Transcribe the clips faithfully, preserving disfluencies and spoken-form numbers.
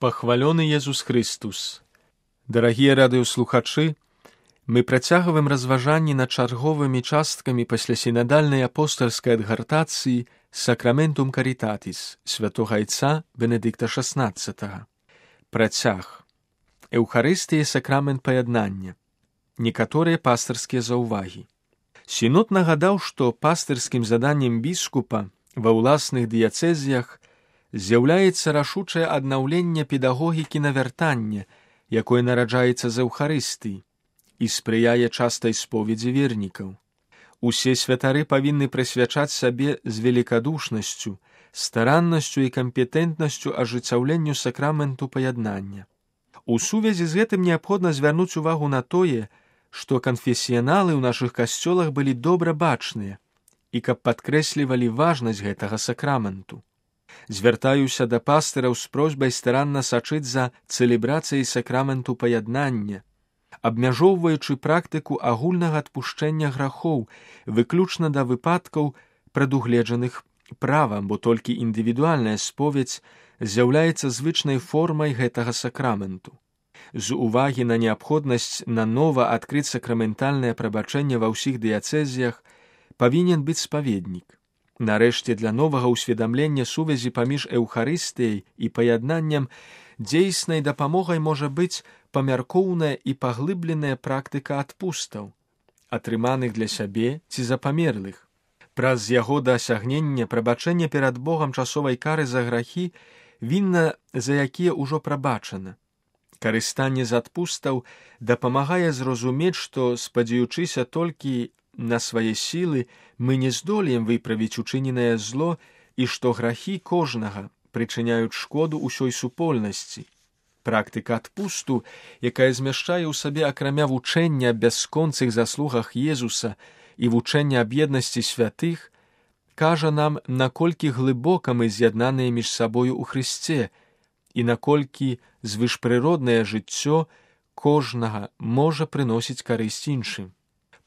Пахвалёны Езус Христус! Дарагія радыёслухачы, мы працягваем разважанні над чарговымі часткамі паслясінадальнай апостальскай адгартацыі «Сакраментум Каритатис» святога айца Бенедыкта шаснаццатага. Працяг. Эўхарыстыя сакрамент паяднання. Некаторыя пастырскія заўвагі. Сінод нагадаў, што пастырскім заданнем біскупа ва ўласных дыяцэзіях з'яўляецца рашучае аднаўленне педагогікі навяртання, якое нараджаецца з Эўхарыстыі, і спрыяе частай споведзі вернікаў. Усе святары павінны прысвячаць сабе з велікадушнасцю, стараннасцю і кампетэнтнасцю ажыццяўленню сакраменту паяднання. У сувязі з гэтым неабходна звярнуць увагу на тое, што канфесіяналы ў нашых касцёлах былі добра бачныя і каб падкрэслівалі важнасць гэтага сакраменту. Звяртаюся да пастыраў з просьбай старанна сачыць за цэлебрацыяй сакраменту паяднання, абмяжоўваючы практыку агульнага адпушчэння грахоў выключна да выпадкаў, прадугледжаных правам, бо толькі індывідуальная споведзь з'яўляецца звычнай формай гэтага сакраменту. З увагі на неабходнасць нанова адкрыць сакраментальнае прабачэнне ва ўсіх дыяцэзіях павінен быць спаведнік. Нарэшце, для новага ўсведамлення сувязі паміж Эўхарыстыяй і паяднаннем дзейснай дапамогай можа быць памяркоўная і паглыбленая практыка адпустаў, атрыманых для сябе ці за памерлых. Праз яго дасягнення прабачэння перад Богам часовай кары за грахі, вінна за якія ўжо прабачана. Карыстанне з адпустаў дапамагае зразумець, што, спадзяючыся толькі на свае сілы, мы не здолеем выправіць учыненае зло і што грахі кожнага прычыняюць шкоду ўсёй супольнасці. Практыка адпусту, якая змяшчае ў сабе акрамя вучэння аб бясконцых заслугах Езуса і вучэння аб еднасці святых, кажа нам, наколькі глыбока мы з'яднаныя між сабою ў Хрысце і наколькі звышпрыроднае жыццё кожнага можа прыносіць карысць іншым.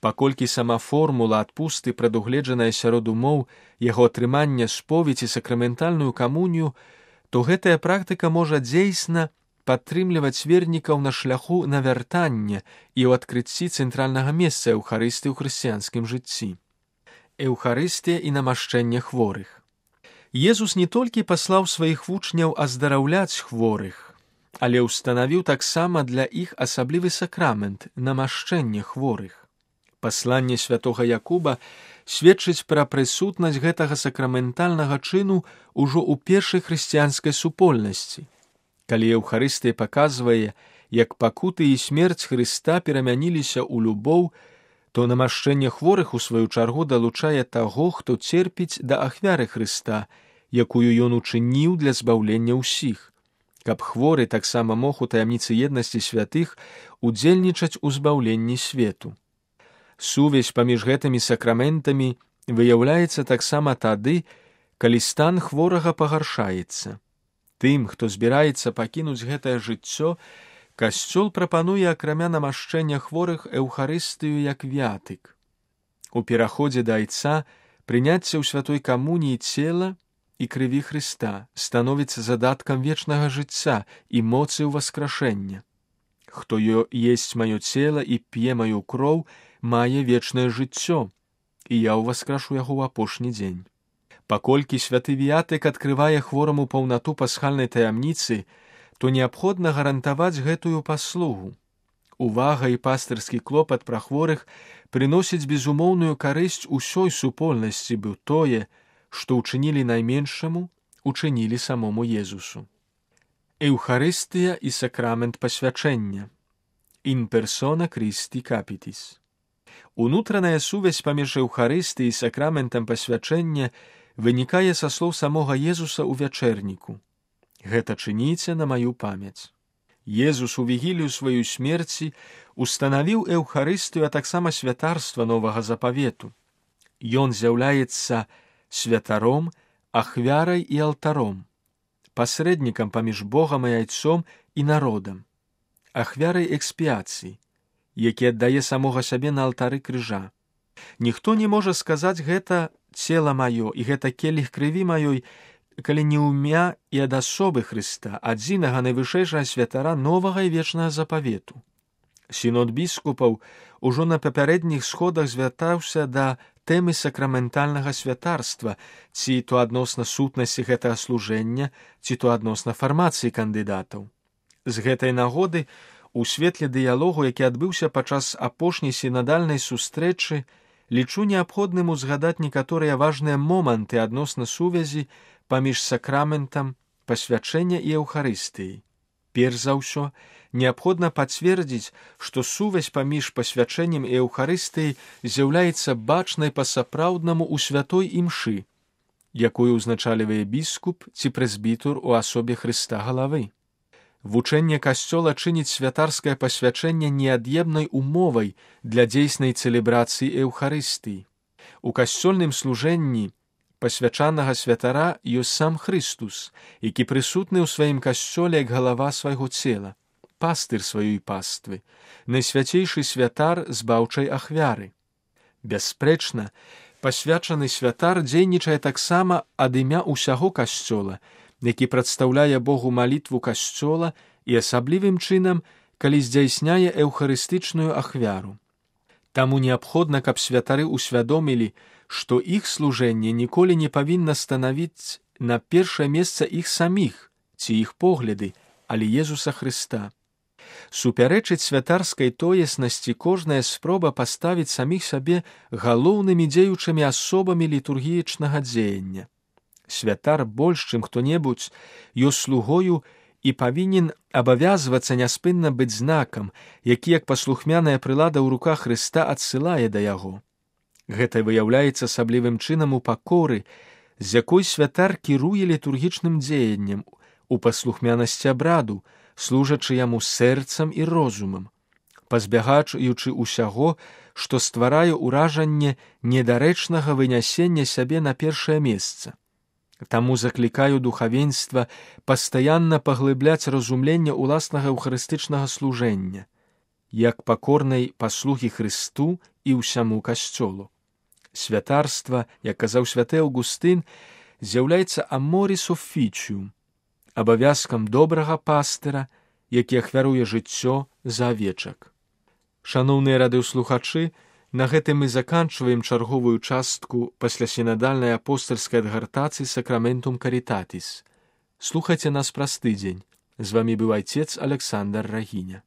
Паколькі сама формула адпусты прадугледжаная сярод умоў яго атрымання споведзі сакраментальную камунію, то гэтая практыка можа дзейсна падтрымліваць вернікаў на шляху навяртання і ў адкрыцці цэнтральнага месца Эўхарыстыі ў хрысціянскім жыцці. Эўхарыстыя і намашчэнне хворых. Езус не толькі паслаў сваіх вучняў аздараўляць хворых, але ўстанавіў таксама для іх асаблівы сакрамент намашчэнне хворых. Пасланне святога Якуба сведчыць пра прысутнасць гэтага сакраментальнага чыну ўжо ў першай хрысціянскай супольнасці. Калі Эўхарыстыя паказвае, як пакуты і смерць Хрыста перамяніліся ў любоў, то намашчэнне хворых у сваю чаргу далучае таго, хто церпіць да ахвяры Хрыста, якую ён учыніў для збаўлення ўсіх, каб хворы таксама мог у таямніцы еднасці святых удзельнічаць у збаўленні свету. Сувязь паміж гэтымі сакраментамі выяўляецца таксама тады, калі стан хворага пагаршаецца. Тым, хто збіраецца пакінуць гэтае жыццё, касцёл прапануе акрамя намашчэння хворых Эўхарыстыю як вятык. У пераходзе да айца прыняцце ў святой камуніі цела і крыві Хрыста становіцца задаткам вечнага жыцця і моцы ўваскрашэння. Хто есць маё цела і п'е маю кроў, мае вечнае жыццё, і я ўваскрашу яго ў апошні дзень. Паколькі святы віятык адкрывае хвораму паўнату пасхальнай таямніцы, то неабходна гарантаваць гэтую паслугу. Увага і пастырскі клопат пра хворых прыносіць безумоўную карысць усёй супольнасці, бо тое, што ўчынілі найменшаму, учынілі самому Езусу. Эўхарыстыя і сакрамент пасвячэння. In persona Christi capitis. Унутраная сувязь паміж Эўхарыстыяй і сакраментам пасвячэння вынікае са слоў самога Езуса ў вячэрніку. Гэта чыніце на маю памяць. Езус у вігілію сваёй смерці устанавіў Эўхарыстыю, а таксама святарства новага запавету. Ён з'яўляецца святаром, ахвярай і алтаром, пасрэднікам паміж Богам і айцом і народам, ахвярай экспіяцыі, які аддае самога сябе на алтары крыжа. Ніхто не можа сказаць гэта цела маё і гэта келіх крыві маёй, калі не ўмя і ад асобы Хрыста, адзінага найвышэйшага святара новага і вечнага запавету. Сінод біскупаў ужо на папярэдніх сходах звяртаўся да тэмы сакраментальнага святарства, ці то адносна сутнасці гэтага служэння, ці то адносна фармацыі кандыдатаў. З гэтай нагоды, у светле дыялогу, які адбыўся падчас апошняй сінадальнай сустрэчы, лічу неабходным узгадаць некаторыя важныя моманты адносна сувязі паміж сакраментам пасвячэння і Еўхарыстыяй. Перш за ўсё, неабходна пацвердзіць, што сувязь паміж пасвячэннем і Еўхарыстыяй з'яўляецца бачнай па-сапраўднаму ў святой імшы, якую ўзначальвае біскуп ці прэзбітар у асобе Хрыста галавы. Вучэнне Касцёла чыніць святарскае пасвячэнне неад'емнай умовай для дзейснай цэлебрацыі Еўхарыстыі. У касцёльным служэнні пасвячанага святара ёсць сам Хрыстус, які прысутны ў сваім касцёле як галава свайго цела, пастыр сваёй паствы, найсвяцейшы святар збаўчай ахвяры. Бясспрэчна, пасвячаны святар дзейнічае таксама ад імя ўсяго касцёла, які прадстаўляе Богу малітву касцёла і асаблівым чынам, калі здзяйсняе эўхарыстычную ахвяру. Таму неабходна, каб святары ўсвядомілі, што іх служэнне ніколі не павінна станавіць на першае месца іх саміх ці іх погляды, але Езуса Хрыста. Супярэчыць святарскай тоеснасці кожная спроба паставіць саміх сабе галоўнымі дзеючымі асобамі літургіічнага дзеяння. Святар больш, чым хто-небудзь, ёсць слугою і павінен абавязвацца няспынна быць знакам, які, як паслухмяная прылада ў руках Хрыста, адсылае да яго. Гэта выяўляецца асаблівым чынам у пакоры, з якой святар кіруе літургічным дзеяннем, у паслухмянасці абраду, служачы яму сэрцам і розумам, пазбягаючы ўсяго, што стварае ўражанне недарэчнага вынясення сябе на першае месца. Таму заклікаю духавенства пастаянна паглыбляць разуменне ўласнага эўхарыстычнага служэння, як пакорнай паслугі Хрысту і ўсяму касцёлу. Святарства, як казаў святы Аўгустын, з'яўляецца аморіс офіціум, абавязкам добрага пастыра, які ахвяруе жыццё за авечак. Шаноўныя радыёслухачы, на гэтым мы заканчваем чарговую частку паслясінадальнай апостальскай адгартацыі Сакраментум Карітатіс. Слухайце нас праз тыдзень. З вамі быў айцец Александр Рагіня.